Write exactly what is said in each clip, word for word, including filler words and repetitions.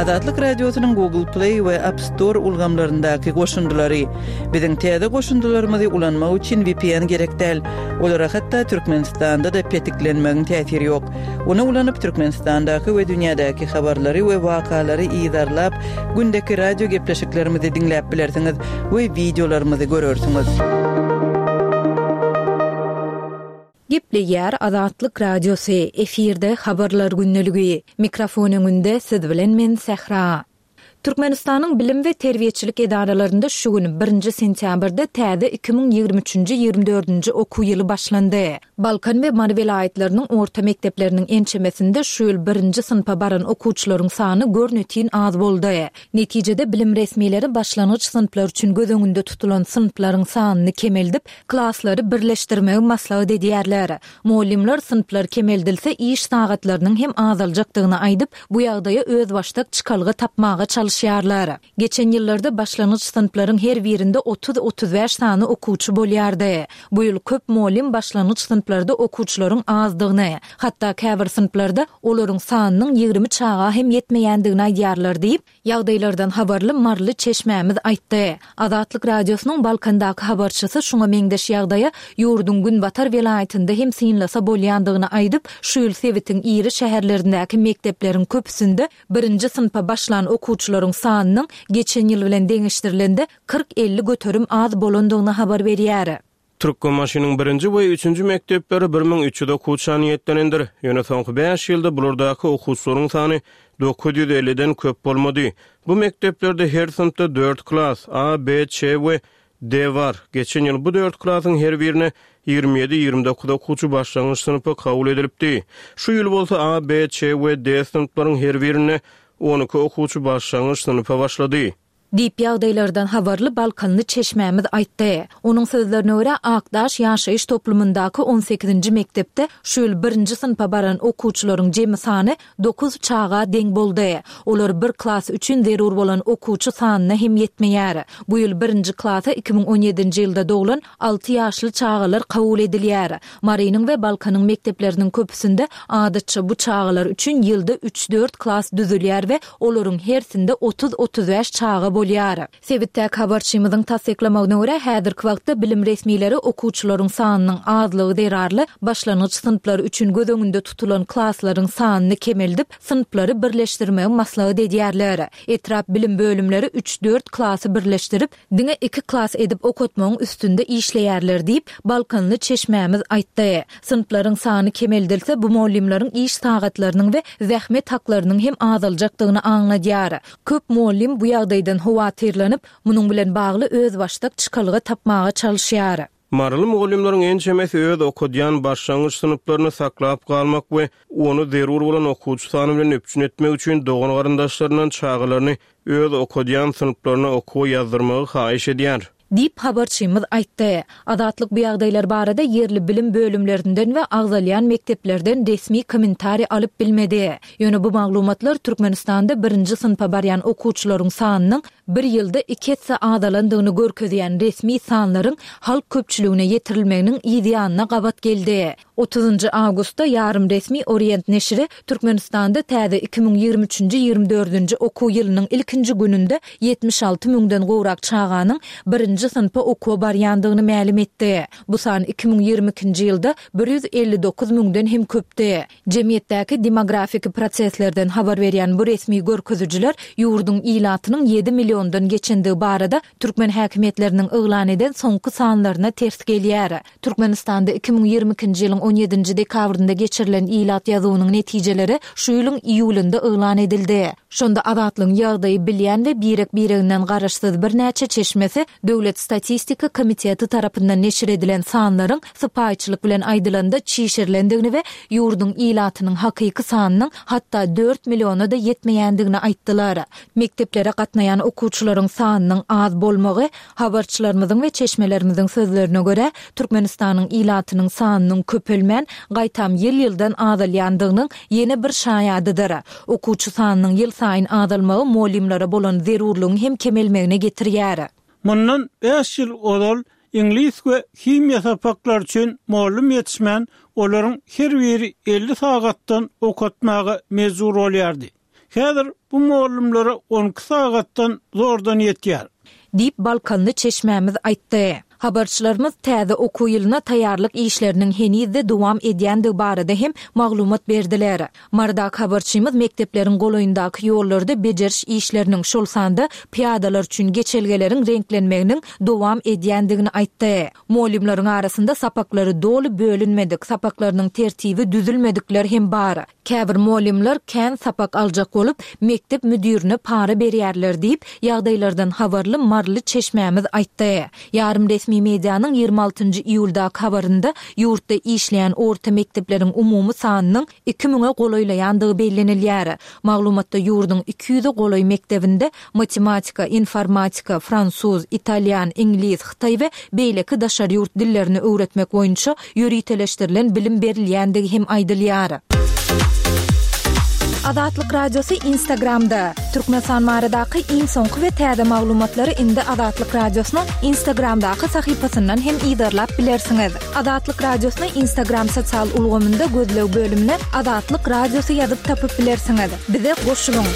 Azatlyk Radiosynyň Google Play we App Store ulgamlaryndaky goşundylary. Biziň täze goşundylarymyzy ulanmak üçin V P N gerek däl. Olara hatda Türkmenistanda-da petiklenmegiň täsiri ýok. Ony ulanyp Türkmenistandaky we dünýädäki habarlary we wakalary yzarlap, gündeki radio gepleşiklerimizi diňläp bilersiňiz we wideolarymyzy görersiňiz. Gepleýär Azatlyk Radiosy, efirde habarlar gündeligi. Mikrofon öňünde siz bilen men Sähra. Türkmenistanyň bilim we terbiýeçilik edaralarynda şu gün birinji sentýabrda täze iki müň ýigrimi üçünji-ýigrimi dördünji okuw ýyly başlandy. Balkan we Mary welaýatlarynyň orta mekdepleriniň ençemesinde şu ýyl birinji synpa baran okuwçylaryň sany görnetin az boldy. Netijede bilim resmileri başlangyç synplar üçin göz öňünde tutulan synplaryň sanyny kemeldip, klaslary birleşdirmegi maslahat edýärler. Mugallymlar synplar kemeldilse iş sagatlarynyň hem azaljakdygyny aýdyp, bu ýagdaýa özbaşdak çykalga tapmaga çalyşýarlar. Geçen ýyllarda başlangyç synplaryň her birinde otuz-otuz bäş sany okuwçy bolýardy. Bu ýyl köp mugallym başlangyç synplarda okuwçylaryň azdygyny, hatda käbir synplarda olaryň sanynyň ýigrimi çaga hem ýetmeýändigini aýdýarlar diýip, ýagdaýlardan habarly maryly çeşmämiz aýtdy. Azatlyk Radiosynyň Balkandaky habarçysy şuňa meňzeş ýagdaýa ýurduň günbatar welaýatynda hem synlasa bolýandygyny aýdyp, şu ýyl sebitiň iri şäherlerindäki mekdepleriň köpüsinde birinji synpa başlan okuwçylaryň sanynyň geçen ýyl bilen deňeşdirilende kyrk-elli göterim az bolandygyny habar berýär. Türkmenbaşynyň birinji we üçünji mekdepleri bir müň üç ýüz okuwça niýetlenendir. Ýöne soňky bäş ýylda bulardaky okuwçylaryň sany dokuz ýüz elliden köp bolmady. Bu mekdeplerde her synpda dört klas A, B, Ç we D bar. Geçen ýyl bu dört klasyň her birine ýigrimi ýedi-ýigrimi dokuz okuwçy başlangyç synpa kabul edilipdi. Şu ýyl bolsa A, B, Ç we D synplaryň her birine on iki okuwçy başlangyç synpa başlady. Diýip ýagdaýlardan habarly Balkanly çeşmämiz aýtdy. Onuň sözlerine görä, Akdaş ýaşaýyş toplumyndaky on sekizinji mekdepde şu ýyl birinji synpa baran okuwçylaryň jemi sany dokuz çaga deň boldy. Olar bir klas üçin zerur bolan okuwçy sanyna hem ýetmeýär. Bu ýyl birinji klasa iki müň on ýedinji ýylda doglan alty ýaşly çagalar kabul edilýär. Marynyň we Balkanyň mekdepleriniň köpüsinde adatça bu çagalar üçin ýylda üç-dört klas düzülýär we olaryň hersinde otuz-otuz bäş çaga bolýar. Sebitdäki habarçymyzyň tassyklamagyna görä, häzirki wagtda bilim resmileri okuwçylaryň sanynyň azlygy zerarly başlangyç synplar üçin göz öňünde tutulan klaslaryň sanyny kemeldip, synplary birleşdirmegi maslahat edýärler. Etrap bilim bölümleri üç-dört klasy birleşdirip, diňe iki klas edip okatmagyň üstünde işleýärler diýip, Balkanly çeşmämiz aýtdy. Synplaryň sany kemeldilse, bu mugallymlaryň iş sagatlarynyň we zähmet haklarynyň hem azaljakdygyny aňladýar. Köp mugallym bu ýagdaýdan howatyrlanyp, munuň bilen bagly özbaşdak çykalga tapmaga çalyşýar. Maryly mugallymlaryň ençemesi öz okadýan başlangyç synplaryny saklap galmak we ony zerur bolan okuwçy sany bilen üpjün etmek üçin dogan garyndaşlaryndan çagalaryny öz okadýan synplaryna okuwa ýazdyrmagy haýyş edýär. Diýip habarçymyz aýtdy. Azatlyk bu ýagdaýlar barada ýerli bilim bölümlerinden we agzalýan mekdeplerden resmi kommentariý alyp bilmedi. Ýöne bu maglumatlar Türkmenistanda birinji synpa barýan okuwçylaryň sanynyň bir ýylda iki esse azalandygyny görkezýän resmi sanlaryň halk köpçüligine ýetirilmeginiň yz ýanyna gabat geldi. Otuzynjy awgustda ýarym resmi Orient neşiri Türkmenistanda täze iki müň ýigrimi üçünji ýigrimi dördünji okuw ýylynyň ilkinji gününde ýetmiş alty müňden gowrak çaganyň birinji synpa okuwa barýandygyny mälim etdi. Bu san iki müň ýigrimi ikinji ýylda bir ýüz elli dokuz müňden hem köpdi. Jemgyýetdäki demografiki proseslerden habar berýän bu resmi görkezijiler ýurduň ilatynyň ýedi milliondan geçendigi barada türkmen häkimiýetleriniň yglan eden soňky sanlaryna ters gelýär. Türkmenistanda iki müň ýigrimi ikinji ýylyň on ýedinji dekabrynda geçirilen ilat ýazuwynyň netijeleri şu ýylyň iýulynda yglan edildi. Şonda Azatlygyň ýagdaýy bilýän we birek-bireginden garaşsyz birnäçe çeşmesi Döwlet statistika komiteti tarapyndan neşir edilen sanlaryň sypaýyçylyk bilen aýdylanda çişirilendigini we ýurduň ilatynyň hakyky sanynyň hatda dört milliona-da ýetmeýändigini aýtdylar. Mekdeplere gatnaýan okuwçylaryň sanynyň az bolmagy, habarçylarymyzyň we çeşmelerimiziň sözlerine görä, Türkmenistanyň ilatynyň sanynyň köpelmän, gaýtam ýyl-ýyldan azalýandygynyň ýene bir şaýadydyr. Okuwçy sanynyň ýylsaýyn azalmagy mugallymlara bolan zerurlygyň hem kemelmegine getirýär. Mundan bäş ýyl ozal iňlis we himiýa sapaklary üçin mugallym ýetişmän, olaryň her biri elli sagatdan okatmaga mejbur bolýardy. Häzir bu mugallymlara on iki sagatdan zordan ýetýär. Diýip Balkanly çeşmämiz aýtdy. Habarçylarymyz täze okuw ýylyna taýýarlyk işleriniň henizde dowam edýändigi barada hem maglumat berdiler. Mardak habarçymyz mekdepleriň golaýyndaky ýollarda bejeriş işleriniň şol sanda piýadalar üçin geçelgeleriň reňklenmeginiň dowam edýändigini aýtdy. Mugallymlaryň arasynda sapaklary doly bölünmedik, sapaklarynyň tertibi düzülmedikler hem bar. Käbir mugallymlar kän sapak aljak bolup, mekdep müdürine para berýärler diýip, ýagdaýlardan habarly Marly çeşmämiz aýtdy. Ýarym resmi medianyň ýigrimi altynjy iýuldaky habarynda ýurtda işleýän orta mekdepleriň umumy sanynyň iki müňe golaýlaýandygy bellenilýär. Maglumatda ýurduň iki ýüze golaý mekdebinde matematika, informatika, fransuz, italýan, iňlis, hytaý we beýleki daşary ýurt dillerini öwretmek boýunça ýöriteleşdirilen bilim berilýändigi hem aýdylýar. Azatlyk Radiosy Instagramda. Türkmenistan baradaky iň soňky we täze maglumatlary indi Azatlyk Radiosynyň Instagramdaky sahypasyndan hem yzarlap bilersiňiz. Azatlyk Radiosyny Instagram sosial ulgamynda gözleg bölümine Azatlyk Radiosy ýazyp tapyp bilersiňiz. Bize goşulyň.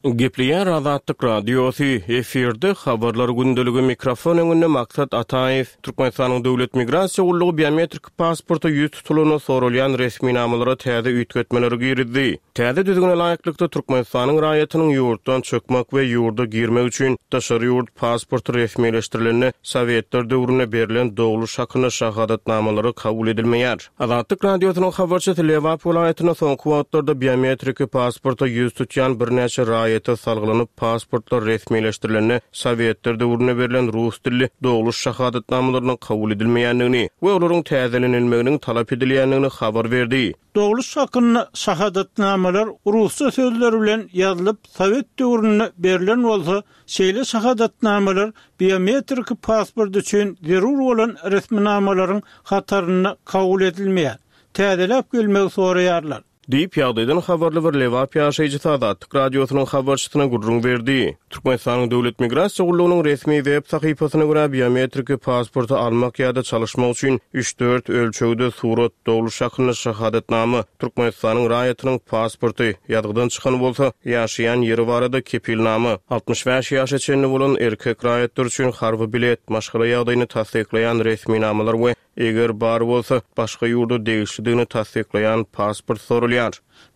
Gepleýär Azatlyk Radiosy, efirde habarlar gündeligi, mikrofon öňünde Maksat Ataýew. Türkmenistanyň Döwlet Migrasiýa gullugy biometrik pasporta ýüz tutulanda sorulýan resminamalara täze üýtgetmeleri girizdi. Täze düzgüne laýyklykda Türkmenistanyň raýatynyň ýurtdan çykmak we ýurda girmek üçin daşary ýurt pasporty resmileşdirilende Sowetler döwründe berlen dogluş hakynda şahadatnamalary kabul edilmeýär. Azatlyk Radiosynyň habarçysy Lebap welaýatynda soňky wagtlarda biometrik pasporta ýüz tutýan birnäçe raýata salgylanyp pasportlar resmileşdirilende Sowetler döwründe berlen rus dilli dogluş şahadatnamalarynyň kabul edilmeýändigini we olaryň täzelenilmeginiň talap edilýändigini habar berdi. Dogluş hakynda şahadatnamalar rusça sözler bilen ýazylyp Sowet döwründe berlen bolsa, şeýle şahadatnamalar biometrik pasport üçin zerur bolan resminamalaryň hatarynda kabul edilmeýär. Täzeläp gelmegi soraýarlar. Diýip ýagdaýdan habarly bir Lebap ýaşaýjysy Azatlyk Radiosynyň habarçysyna gürrüň berdi. Türkmenistanyň Döwlet Migrasiýa gullugynyň resmi web sahypasyna görä biometrik pasporty almak ýa-da çalyşmak üçin üç-dört ölçegde surat, dogluş hakynda şahadatnama, Türkmenistanyň raýatynyň pasporty, ýazgydan çykan bolsa, ýaşaýan ýeri barada kepilnama, altmyş bäş ýaşa çenli bolan erkek raýatlar üçin harby bilet, maşgala ýagdaýyny tassyklaýan resminamalar we eger bar bolsa başga ýurda degişlidigini tassyklaýan pasport sorulýar.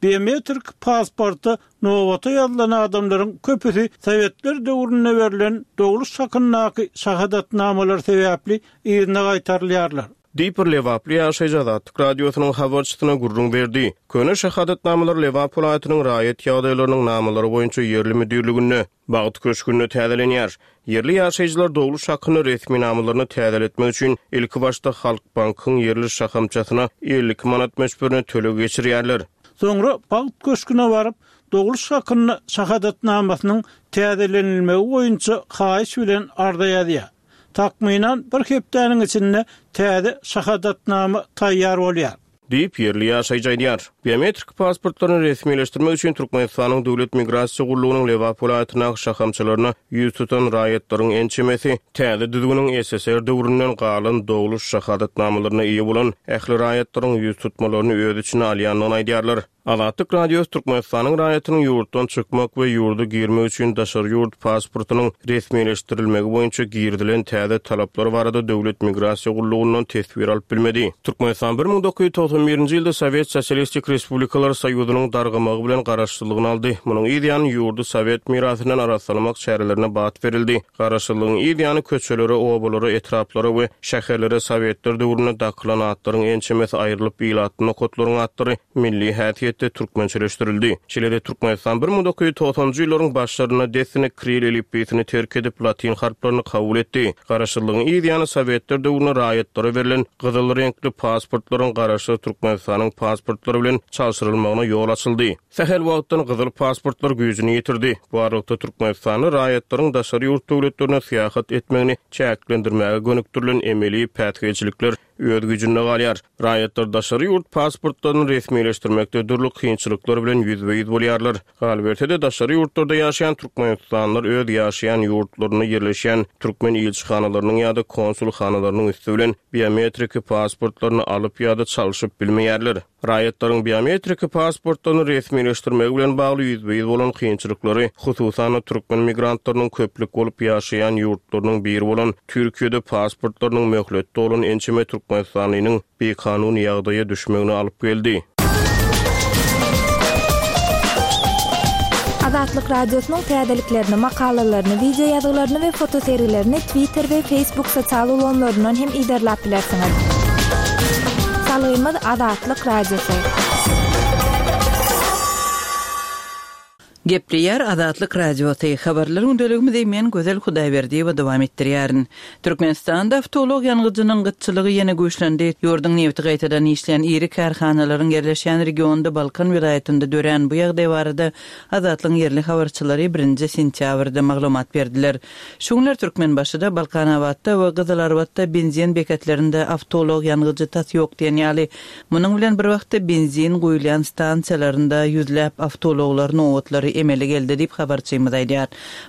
Biometrik pasporta nobata ýazylan adamlaryň köpüsi Sowetler döwründe berlen dogluş hakyndaky şahadatnamalar sebäpli yzyna gaýtarylýarlar. Diýip bir Lebaply ýaşaýjy Azatlyk Radiosynyň habarçysyna gürrüň berdi. Köne şahadatnamalar Lebap welaýatynyň raýat ýagdaýlarynyň namalary boýunça ýerli müdirliginde Bagt köşgünde täzelenýär. Ýerli ýaşaýjylar dogluş hakynda resminamalaryny täzeletmek üçin ilki başda Halk Bankyň ýerli şahamçasyna elli iki manat möçberine töleg geçirýärler. Soňra Bagt köşgüne baryp, dogluş hakynda şahadatnamasynyň täzelenilmegi boýunça haýyş bilen arza ýazýar. Takmynan bir hepdäniň içinde täze şahadatnama taýýar bolýar. Diýip ýerli ýaşaýjy aýdýar. Biometrik pasportlaryny resmileşdirmek üçin Türkmenistanyň Döwlet Migrasiýa gullugynyň Lebap welaýatyndaky şahamçalaryna ýüz tutan raýatlaryň ençemesi täze düzgüniň S S R döwründen galan dogluş şahadatnamalaryna eýe bolan ähli raýatlaryň ýüz tutmalaryny öz içine alýandygyny aýdýarlar. Azatlyk Radiosy Türkmenistanyň raýatynyň ýurtdan çykmak we ýurda girmek üçin daşary ýurt pasportynyň resmileşdirilmegi boýunça girizilen täze talaplar barada Döwlet Migrasiýa gullugyndan teswir alyp bilmedi. Türkmenistan bir müň dokuz ýüz togsan birinji ýylda Sowet Sosialistik Respublikalar Soýuzynyň dargamagy bilen garaşsyzlygyny aldy. Munuň yz ýany ýurdy Sowet mirasyndan arassalamak çärelerine bat berildi. Garaşsyzlygyň yz ýany köçelere, obalara, etraplara we şäherlere Sowetler döwründe dakylan atlaryň ençemesi aýrylyp, ilatly nokatlaryň atlary milli häsiýetde türkmençeleşdirildi. Şeýle-de Türkmenistan bir müň dokuz ýüz togsanjy ýyllaryň başlarynda dessine Kiril elipbiýsini terk edip, latin harplaryny kabul etdi. Garaşsyzlygyň yz ýany Sowetler döwründe raýatlara berlen gyzyl reňkli pasportlaryň garaşsyz Türkmenistanyň pasportlary bilen çalşyrylmagyna ýol açyldy. Sähel wagtdan gyzyl pasportlar güýjüni ýitirdi. Bu aralykda Türkmenistanda raýatlaryň daşary ýurt döwletlerine syýahat etmegini çäklendirmäge gönükdirilen emeli päsgelçilikler öz güýjünde galýar. Raýatlar daşary ýurt pasportlaryny resmileşdirmekde dürli kynçylyklar bilen ýüzbe-ýüz bolýarlar. Galyberse-de daşary ýurtlarda ýaşaýan türkmenistanlylar öz ýaşaýan ýurtlarynda ýerleşýän türkmen ilçihanalarynyň ýa-da konsulhanalarynyň üsti bilen biometrik pasportlaryny alyp ýa-da çalşyp bilmeýärler. Raýatlaryň biometrik pasportlaryny resmileşdirmegi bilen bagly ýüzbe-ýüz bolan kynçylyklary, hususan-da türkmen migrantlarynyň köplük bolup ýaşaýan ýurtlarynyň biri bolan Türkiýede pasportlarynyň möhletde bolan ençeme Türkmenistanlynyň bikanun ýagdaýa düşmegine alyp geldi. Azatlyk Radiosynyň täzeliklerini, makalalaryny, wideo ýazgylaryny we fotosergilerini Twitter we Facebook sosial ulgamlaryndan hem yzarlap bilersiňiz. Salgymyz Azatlyk Radiosy. Gepleýär Azatlyk Radiosy. Habarlar gündeligimizi men Gözel Hudaýberdiýewa dowam etdirýärin. Türkmenistanda awtoulag ýangyjynyň gytçylygy ýene güýçlendi. Ýurduň nebiti gaýtadan işleýän iri kärhanalaryň ýerleşýän regionda Balkan welaýatynda dörän bu ýagdaý barada Azatlygyň ýerli habarçylary birinji sentýabrda maglumat berdiler. Şu günler Türkmenbaşyda, Balkanabatda we Gyzylarbatda benzin beketlerinde awtoulag ýangyjy tas ýok diýen ýaly. Munuň bilen bir wagtda benzin guýulýan stansiýalarynda ýüzläp awtoulaglar nobatlary emele geldi diýip habarçymyz aýdýar.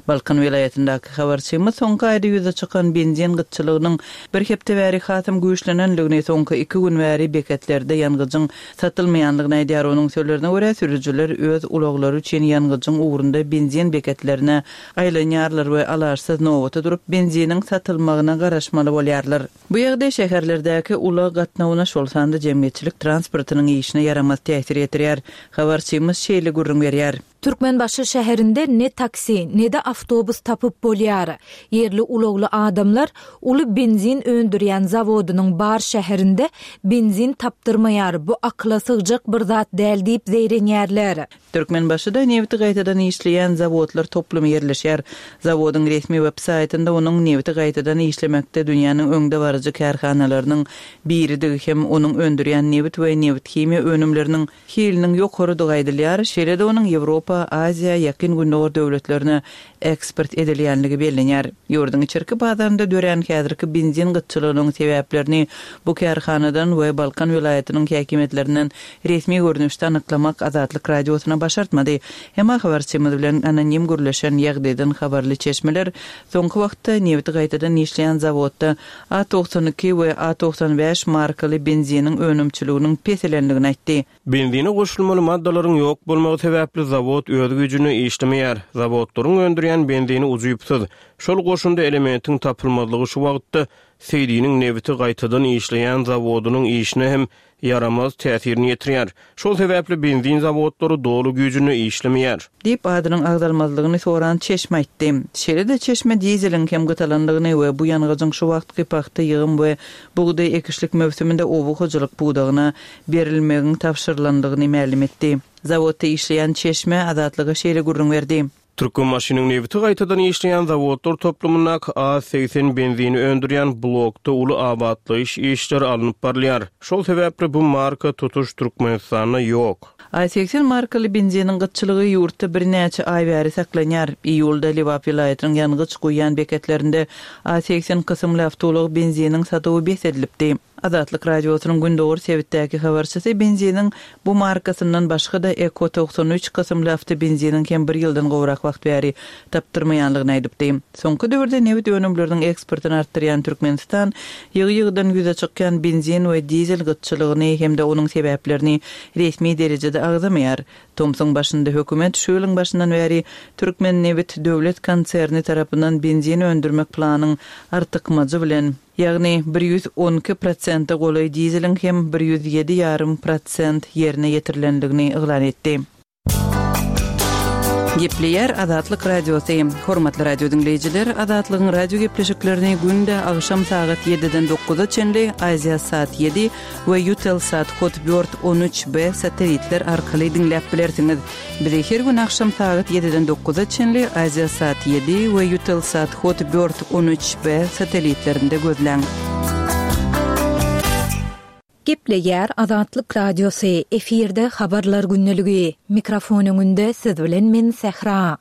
Balkan welaýatyndaky habarçymyz soňky aýda ýüze çykan benzin gytçylygynyň bir hepde bäri hasam güýçlenenligini, soňky iki gün bäri beketlerde ýangyjyň satylmaýanlygyny aýdýar. Onuň sözlerine görä, sürüjiler öz ulaglary üçin ýangyjyň ugrunda benzin beketlerine aýlanýarlar we alaçsyz nobata durup benziniň satylmagyna garaşmaly bolýarlar. Bu ýagdaý şäherlerdäki ulag gatnawyna, şol sanda jemgyýetçilik transportynyň işine ýaramaz täsir ýetirýär. Habarçymyz şeýle gürrüň berýär. Türkmenbaşy şäherinde ne taksi, ne-de awtobus tapyp bolýar. Ýerli ulagly adamlar uly benzin öndürýän zawodynyň bar şäherinde benzin tapdyrmaýar, bu akyla sygjak bir zat däl diýip zeýrenýärler. Türkmenbaşyda nebiti gaýtadan işleýän zawodlar toplumy ýerleşýär. Zawodyň resmi web saýtynda onuň nebiti gaýtadan işlemekde dünýäniň öňdebaryjy kärhanalarynyň biridigi hem onuň öndürýän nebit we nebit himiýa önümleriniň hiliniň ýokarydygy aýdylýar. Şeýle-de onuň Ýewropa, Aziýa, Ýakyn Gündogar döwletlerine eksport edilýänligi bellenýär. Ýurduň içerki bazarynda dörän häzirki benzin gytçylygynyň sebäplerini bu kärhanadan we Balkan welaýatynyň häkimiýetlerinden resmi görnüşde anyklamak Azatlyk Radiosyna başartmady. Emma habarçymyz bilen anonim gürleşen ýagdaýdan habarly çeşmeler soňky wagtda nebiti gaýtadan işleýän zawodda A togsan iki we A togsan bäş markaly benziniň önümçiliginiň peselenligini aýtdy. Benzine goşulmaly maddalaryň ýok bolmagy sebäpli zawod öz güýjüne işlemeýär. Zawodlaryň öndürýän benzini ujypsyz. Şol goşunda elementiň tapylmazlygy şu wagtda Seýdiniň nebiti gaýtadan işleýän zawodynyň işine hem ýaramaz täsirini ýetirýär. Şol sebäpli benzin zawodlary doly güýjüne işlemeýär. Diýip adynyň agzalmazlygyny soran çeşme aýtdy. Şeýle-de çeşme dizeliň hem gytalanlygyny we bu ýangyjyň şu wagtky pagta ýygym we bugdaý ekişlik möwsüminde oba hojalyk pudagyna berilmegiň tabşyrylanlygyny mälim etdi. Zawodda işleýän çeşme Azatlyga şeýle gürrüň berdi. Türkmenbaşynyň nebiti gaýtadan işleýän zawodlar toplumyndaky A segsen benzini öndürýän blokda uly abatlaýyş işleri alnyp barylýar. Şol sebäpli bu marka tutuş Türkmenistanda ýok. A segsen markaly benziniň gytçylygy ýurtda birnäçe aý bäri saklanýar. Iýulda Lebap welaýatynyň ýangyç guýýan beketlerinde A segsen kysymly awtoulag benziniň satuwy bes edilipdi. Azatlyk Radiosynyň Gündogar sebitdäki habarçysy benziniň bu markasyndan başga-da Eko togsan üç kysymly awtobenziniň hem bir ýyldan gowrak wagt bäri tapdyrmaýanlygyny aýdypdy. Soňky döwürde nebit önümleriniň eksportyny artdyrýan Türkmenistan ýygy-ýygydan ýüze çykýan benzin we dizel gytçylygyny hem-de onuň sebäplerini resmi derejede agzamaýar. Tomsuň başynda hökümet şu ýylyň başyndan bäri Türkmen nebit döwlet konserni tarapyndan benzin öndürmek planyň artykmajy bilen, ýagny bir ýüz on iki prosente golaý dizeliň hem bir ýüz ýedi ýarym prosent ýerine ýetirilenligini yglan etdi. Gepleýär Azatlyk Radiosy. Hormatly radio diňleýjiler, Azatlygyň radio gepleşiklerini günde agşam sagat ýediden dokuza çenli Aziýa saat ýedi we Eutelsat Hotbird on üç B satelitler arkaly diňläp bilersiňiz. Bizi her gün agşam sagat ýediden dokuza çenli Aziýa saat ýedi we Eutelsat Hotbird on üç B satelitlerinde gözläň. Gepleýär Azatlyk Radiosy, efirde habarlar gündeligi. Mikrofon öňünde siz bilen men Sähra.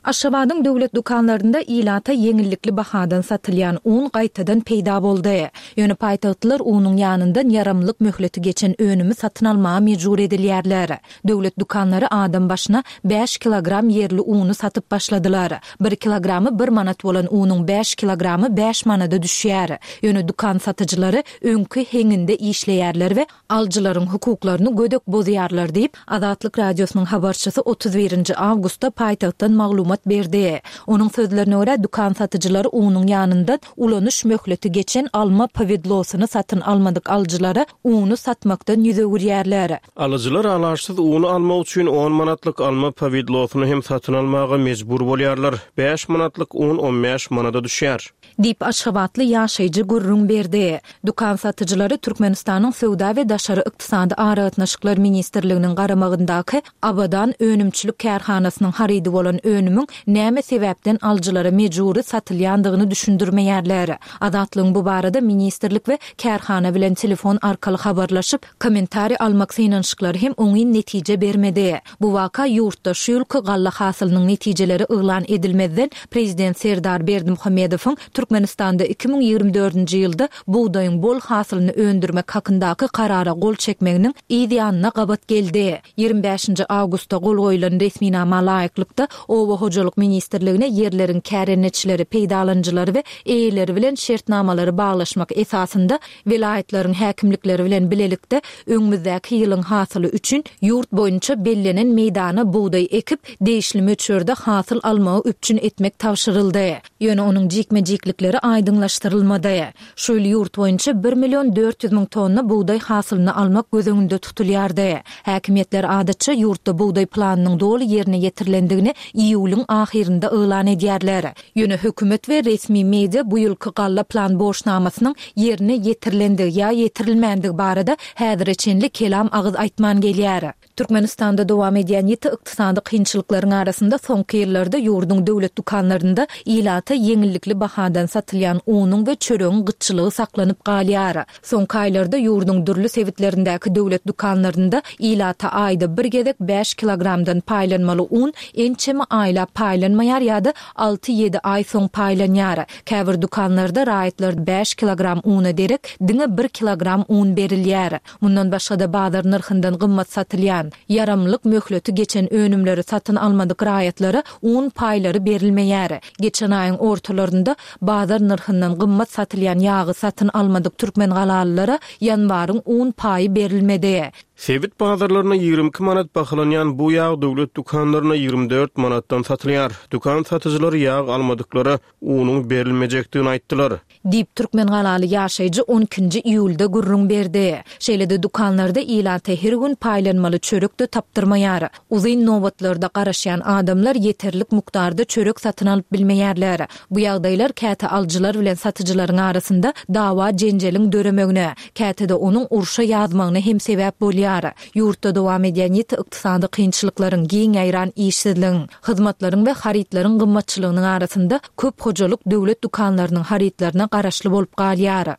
Aşgabadyň döwlet dükanlarynda ilata ýeňillikli bahadan satylýan un gaýtadan peýda boldy. Ýöne paýtagtlylar unuň ýanyndan ýaramlyk möhleti geçen önümi satyn almaga mejbur edilýärler. Döwlet dükanlary adam başyna bäş kilogram ýerli uny satyp başladylar. Bir kilogramy bir manat bolan unuň bäş kilogramy bäş manada düşýär. Ýöne dükan satyjylary öňki heňinde işleýärler we alyjylaryň hukuklaryny gödek bozýarlar diýip, Azatlyk Radiosynyň habarçysy otuz birinji awgustda paýtagtdan maglumat berdi. Onuň sözlerine görä, dükan satyjylary unuň ýanyndan ulanyş möhleti geçen alma powidlosyny satyn almadyk alyjylara uny satmakdan ýüz öwürýärler. Alyjylar alaçsyz uny almak üçin on manatlyk alma powidlosyny hem satyn almaga mejbur bolýarlar. Bäş manatlyk un on bäş manada düşýär. Diýip, Aşgabatly ýaşaýjy gürrüň berdi. Dükan satyjylary Türkmenistanyň Söwda we daşary ykdysady aragatnaşyklar ministrliginiň garamagyndaky Abadan önümçilik kärhanasynyň harydy bolan önümiň näme sebäpden alyjylara mejbury satylýandygyny düşündirmeýärler. Azatlygyň bu barada ministrlik we kärhana bilen telefon arkaly habarlaşyp, kommentariý almak synanyşyklary hem oňyn netije bermedi. Bu waka ýurtda şu ýylky galla hasylynyň netijeleri yglan edilmezden Prezident Serdar Berdimuhamedowyň Türkmenistanda iki müň ýigrimi dördünji ýylda bugdaýyň bol hasylyny öndürmek hakyndaky karara gol çekmeginiň yz ýanyna gabat geldi. Ýigrimi bäşinji awgustda gol goýlan resminama laýyklykda Oba hojalyk ministrligine ýerleriň kärendeçileri, peýdalanyjylary we eýeleri bilen şertnamalary baglaşmak esasynda welaýatlaryň häkimlikleri bilen bilelikde öňümizdäki ýylyň hasyly üçin ýurt boýunça bellenen meýdana bugdaý ekip, degişli möçberde hasyl almagy üpjün etmek tabşyryldy. Ýöne onuň jikme-jiklikleri aýdyňlaşdyrylmady. Şu ýyl ýurt boýunça bir million dört ýüz müň tonna bugdaý hasylyny almak göz öňünde tutulýardy. Häkimiýetler adatça ýurtda bugdaý planynyň doly ýerine ýetirilendigini iýulyň ahyrynda yglan edýärler. Ýöne hökümet we resmi media bu ýylky galla plan borçnamasynyň ýerine ýetirilendigi ýa ýetirilmändigi barada häzire çenli kelam agyz aýtman gelýär. Türkmenistanda dowam edýän ýiti ykdysady kynçylyklaryň arasynda soňky ýyllarda ýurduň döwlet dükanlarynda ilata ýeňillikli bahadan satylýan unuň we çöregiň gytçylygy saklanyp galýar. Soňky aýlarda ýurduň dürli sebitlerindäki döwlet dükanlarynda ilata aýda bir gezek bäş kilogramdan paýlanmaly un ençeme aýlap paýlanmaýar ýa-da alty-ýedi aý soň paýlanýar. Käbir dükanlarda raýatlar bäş kilogram una derek diňe bir kilogram un berilýär. Mundan başga-da bazar nyrhyndan gymmat satylýan, ýaramlyk möhleti geçen önümleri satyn almadyk raýatlara un paýlary berilmeýär. Geçen aýyň ortalarynda bazar nyrhyndan gymmat satylýan ýagy satyn almadyk türkmen galalylara ýanwaryň un paýy berilmedi. Sebit bazarlaryna ýigrimi iki manat bahalanýan bu ýag döwlet dükanlaryna ýigrimi dört manatdan satylýar. Dükan satyjylary ýag almadyklara unuň berilmejekdigini aýtdylar. Diýip, türkmen galaly ýaşaýjy on ikinji iýulda gürrüň berdi. Şeýle-de dükanlarda ilata her gün paýlanmaly çörek-de tapdyrmaýar. Uzyn nobatlarda garaşýan adamlar ýeterlik mukdarda çörek satyn alyp bilmeýärler. Bu ýagdaýlar käte alyjylar bilen satyjylaryň arasynda dawa jenjeliň döremegine, käte-de onuň urşa ýazmagyna hem sebäp bolýar. Ýurtda dowam edýän ýiti ykdysady kynçylyklaryň, giň ýaýran işsizligiň, hyzmatlaryň we harytlaryň gymmatçylygynyň arasynda köp hojalyk döwlet dükanlarynyň harytlaryna garaşly bolup galýar.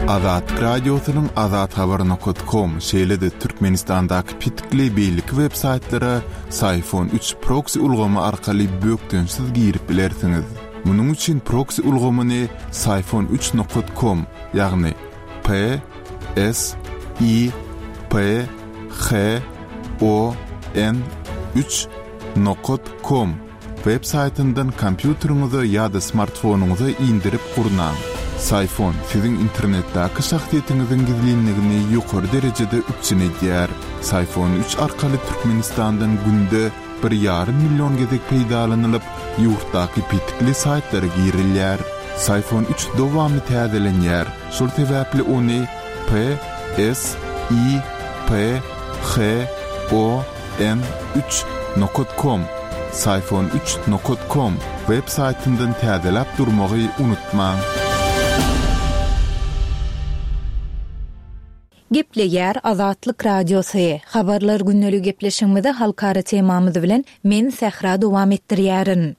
Azatlyk Radiosynyň Azat Habar nokta com, şeýle-de Türkmenistandaky petikli beýleki web saýtlara Syfon üç proxy ulgamy arkaly bökdençsiz girip bilersiňiz. Munuň üçin proxy ulgamyny Syfon üç nokta com, ýagny P S I P H O N üç nokta com web saýtyndan kompýuteriňize ýa-da smartfonyňyza indirip gurnaň. Syfon siziň internetdäki şahsyýetiňiziň gizlinligini ýokary derejede üpjün edýär. Syfon üç arkaly Türkmenistandan günde bir ýarym million gezek peýdalanylyp, ýurtdaky petikli saýtlara girilýär. Syfon üç dowamly täzelenýär. Şol sebäpli ony P S I P H O N üç nokta com, Syfon üç nokta com web saýtyndan täzeläp durmagy unutmaň. Gepleýär Azatlyk Radiosy. Habarlar günlük gepleşigimizi halkara temamyz bilen men Sähra dowam etdirýärin.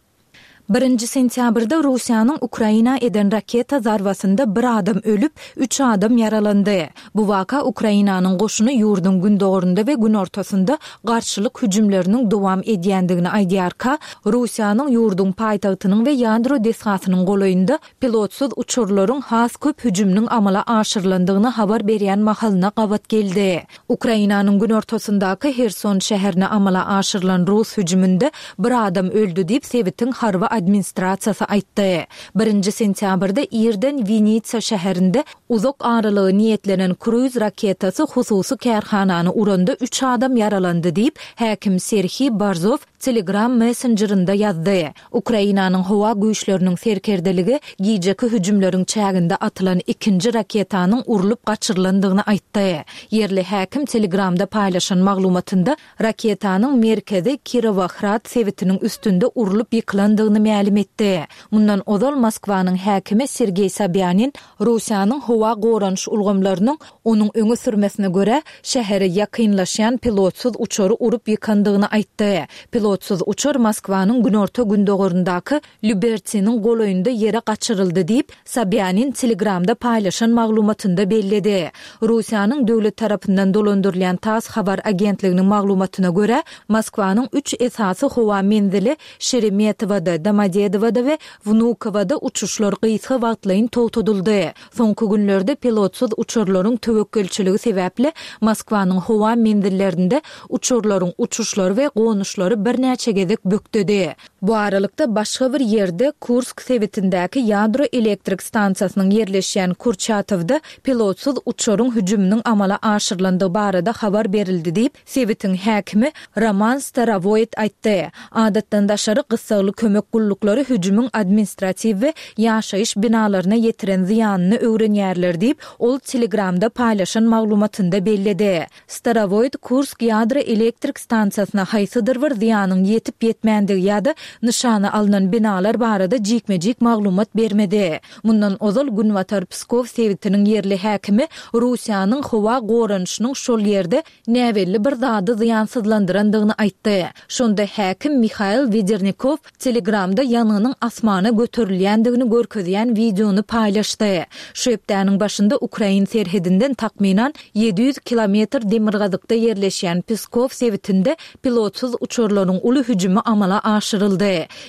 Birinji sentýabrda Russiýanyň Ukraina eden raketa zarbasynda bir adam ölüp, üç adam ýaralandy. Bu waka Ukrainanyň goşuny ýurduň gündogarynda we günortasynda garşylyk hüjümleriniň dowam edýändigini aýdýarka, Russiýanyň ýurduň paýtagtynyň we ýadro desgasynyň golaýynda pilotsyz uçarlaryň has köp hüjüminiň amala aşyrylandygyny habar berýän mahalyna gabat geldi. Ukrainanyň günortasyndaky Herson şäherine amala aşyrylan rus hüjüminde bir adam öldi diýip sebitiň harby administrasiýasy aýtdy. Birinji sentýabrda irden Winitsa şäherinde uzak aralygy niýetlenen kruiz raketasy hususy kärhanany uranda üç adam ýaralandy diýip, häkim Serhiý Barzow Telegram messenjerinde ýazdy. Ukrainanyň howa güýçleriniň serkerdeligi gijeki hüjümleriň çäginde atylan ikinji raketanyň urlup gaçyrylandygyny aýtdy. Ýerli häkim Telegramda paýlaşan maglumatynda raketanyň merkezi Kirowohrad sebitiniň üstünde urlup ýykylandygyny mälim etdi. Mundan ozal Moskwanyň häkimi Sergeý Sobýanin Russiýanyň howa goranyş ulgamlarynyň onuň öňe sürmesine görä şähere ýakynlaşýan pilotsyz uçary urup ýykandygyny aýtdy. Pilotsyz uçar Moskwanyň günorta gündogaryndaky Lýubertsiniň golaýynda ýere gaçyryldy diýip, Sobýanin Telegramda paýlaşan maglumatynda belledi. Russiýanyň döwlet tarapyndan dolandyrylýan TASS habar agentliginiň maglumatyna görä, Moskwanyň üç esasy howa menzili Şeremetowada, Domodedowada we Wnukowada uçuşlar gysga wagtlaýyn togtadyldy. Soňky günlerde pilotsyz uçarlaryň töwekgelçiligi sebäpli Moskwanyň howa menzillerinde uçarlaryň uçuşlary we gonuşlary birnäçe gezek bökdedi. Bu aralykda başga bir ýerde Kursk sebitindäki ýadro elektrik stansiýasynyň ýerleşýän Kurçatowda pilotsyz uçaryň hüjüminiň amala aşyrylandygy barada habar berildi diýip, sebitiň häkimi Roman Starowoýt aýtdy. Adatdan daşary gyssagly kömek gulluklary hüjümiň administratiw we ýaşaýyş binalaryna ýetiren zyýanyny öwrenýärler diýip, ol Telegramda paýlaşan maglumatynda belledi. Starowoýt Kursk ýadro elektrik stansiýasyna haýsydyr bir zyýanyň ýetip ýetmändigi ýa-da nyşana alnan binalar barada jikme-jik maglumat bermedi. Mundan ozal Günbatar Pskow sebitiniň ýerli häkimi Russiýanyň howa goranyşynyň şol ýerde näbelli bir zady zyýansyzlandyrandygyny aýtdy. Şonda häkim Mihail Wedernikow Telegramda ýangynyň asmana göterilýändigini görkezýän wideony paýlaşdy. Şu hepdäniň başynda Ukrain serhedinden takmynan ýedi ýüz kilometr demirgazykda ýerleşýän Pskow sebitinde pilotsyz uçarlaryň uly hüjümi amala aşyryldy.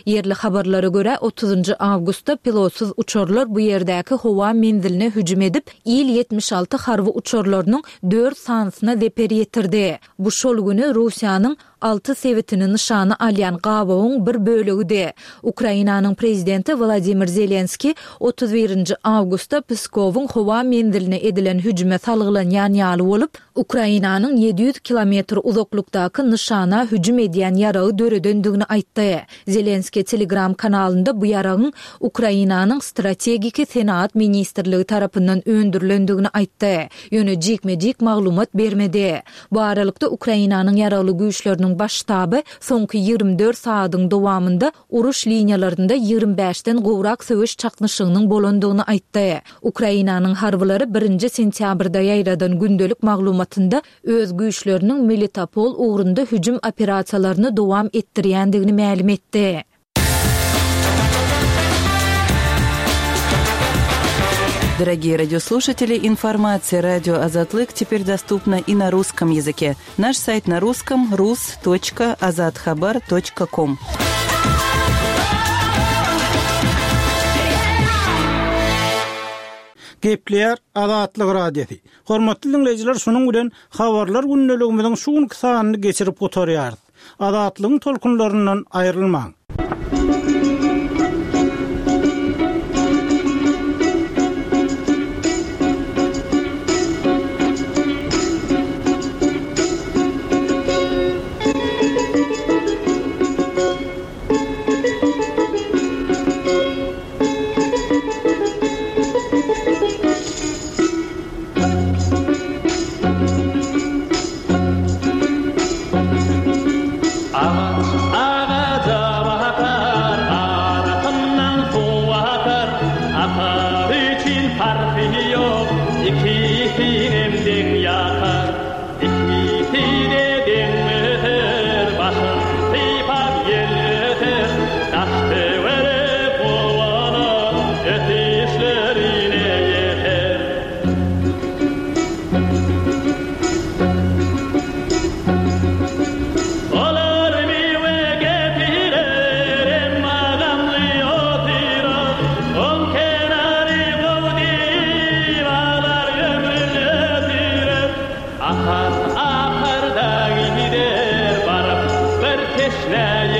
Ýerli habarlara görä otuzynjy awgustda pilotsyz uçarlar bu ýerdäki howa menziline hüjüm edip, Il ýetmiş alty harby uçarlarynyň dört sanysyna zeper ýetirdi. Bu şol güni Russiýanyň alty sebitini nyşana alýan gabawyň bir bölegidi. Ukrainanyň prezidenti Wladimir Zelenski otuz birinji awgustda Pskowyň howa menziline edilen hüjüme salgylanýan ýaly bolup, Ukrainanyň ýedi ýüz kilometr uzaklykdaky nyşana hüjüm edýän ýaragy döredendigini aýtdy. Zelenski Telegram kanalynda bu ýaragyň Ukrainanyň strategiki senaat ministrligi tarapyndan öndürilendigini aýtdy. Ýöne jikme-jik maglumat bermedi. Bu aralykda Ukrainanyň ýaragly güýçleriniň baş ştaby soňky ýigrimi dört sagadyň dowamynda uruş liniýalarynda ýigrimi bäşden gowrak söweş çaknyşygynyň bolandygyny aýtdy. Ukrainanyň harbylary birinji sentýabrda ýaýradan gündelik maglumatynda öz güýçleriniň Melitopol ugrunda hüjüm operasiýalaryny dowam etdirýändigini mälim etdi. Дорогие радиослушатели, информация радио Азатлык теперь доступна и на русском языке. Наш сайт на русском рус точка азатхабар точка ком. Gepleýär Azatlyk Radiosy. Hormatly dinleýjiler, şunuň bilen habarlar gündeligimiziň şu günki sanyny geçirip gutarýarys. Azatlygyň tolkunlaryndan aýrylmaň. Agat, agat, Aparda gider baryp bir teşnäýi